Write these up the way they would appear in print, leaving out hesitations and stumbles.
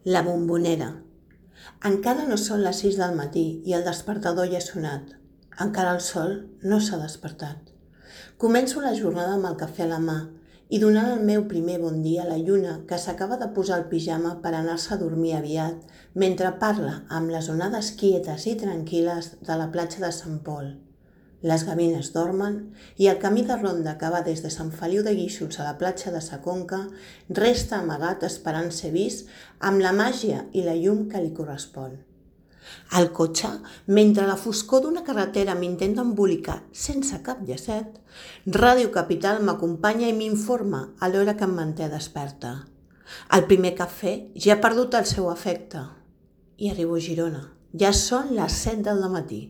La bombonera. Encara no són les 6 del matí i el despertador ja ha sonat. Encara el sol no s'ha despertat. Començo la jornada amb el cafè a la mà i donant el meu primer bon dia a la lluna que s'acaba de posar el pijama per anar-se a dormir aviat mentre parla amb les onades quietes i tranquil·les de la platja de Sant Pol. Les gavines dormen i el camí de ronda que va des de Sant Feliu de Guíxols a la platja de Sa Conca resta amagat esperant ser vist amb la màgia i la llum que li correspon. Al cotxe, mentre la foscor d'una carretera m'intenta embolicar sense cap llacet, Ràdio Capital m'acompanya i m'informa a l'hora que em manté desperta. El primer cafè ja ha perdut el seu efecte. I arribo a Girona. Ja són les 7 del matí.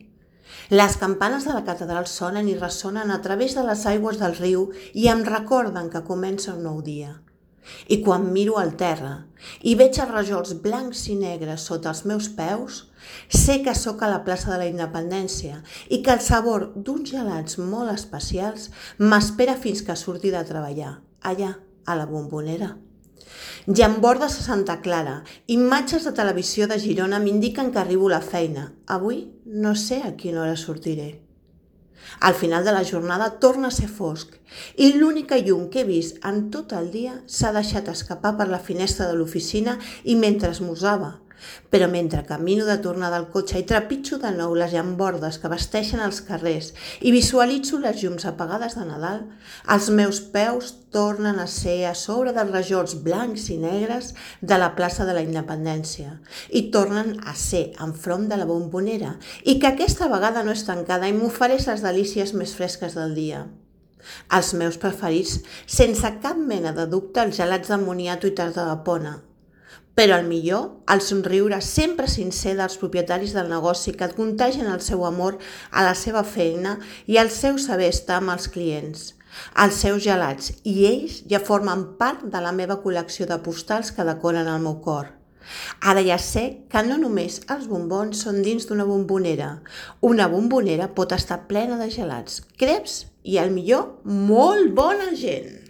Les campanes de la catedral sonen i ressonen a través de les aigües del riu i em recorden que comença un nou dia. I quan miro al terra i veig els rajols blancs i negres sota els meus peus, sé que sóc a la plaça de la Independència i que el sabor d'uns gelats molt especials m'espera fins que surti de treballar, allà, a la bombonera. Llambordes a Santa Clara, imatges de televisió de Girona m'indiquen que arribo a la feina. Avui no sé a quina hora sortiré. Al final de la jornada torna a ser fosc i l'única llum que he vist en tot el dia s'ha deixat escapar per la finestra de l'oficina i mentre esmorzava. Però mentre camino de tornada al cotxe i trepitjo de nou les llambordes que vesteixen els carrers i visualitzo les llums apagades de Nadal, els meus peus tornen a ser a sobre dels rajols blancs i negres de la plaça de la Independència i tornen a ser enfront de la bombonera i que aquesta vegada no és tancada i m'ofereix les delícies més fresques del dia. Els meus preferits, sense cap mena de dubte, els gelats de moniato i tarta de pona. Però el millor, el somriure sempre sincer dels propietaris del negoci que et contagien el seu amor a la seva feina i el seu saber estar amb els clients. Els seus gelats i ells ja formen part de la meva col·lecció de postals que decoren el meu cor. Ara ja sé que no només els bombons són dins d'una bombonera. Una bombonera pot estar plena de gelats, creps i, el millor, molt bona gent.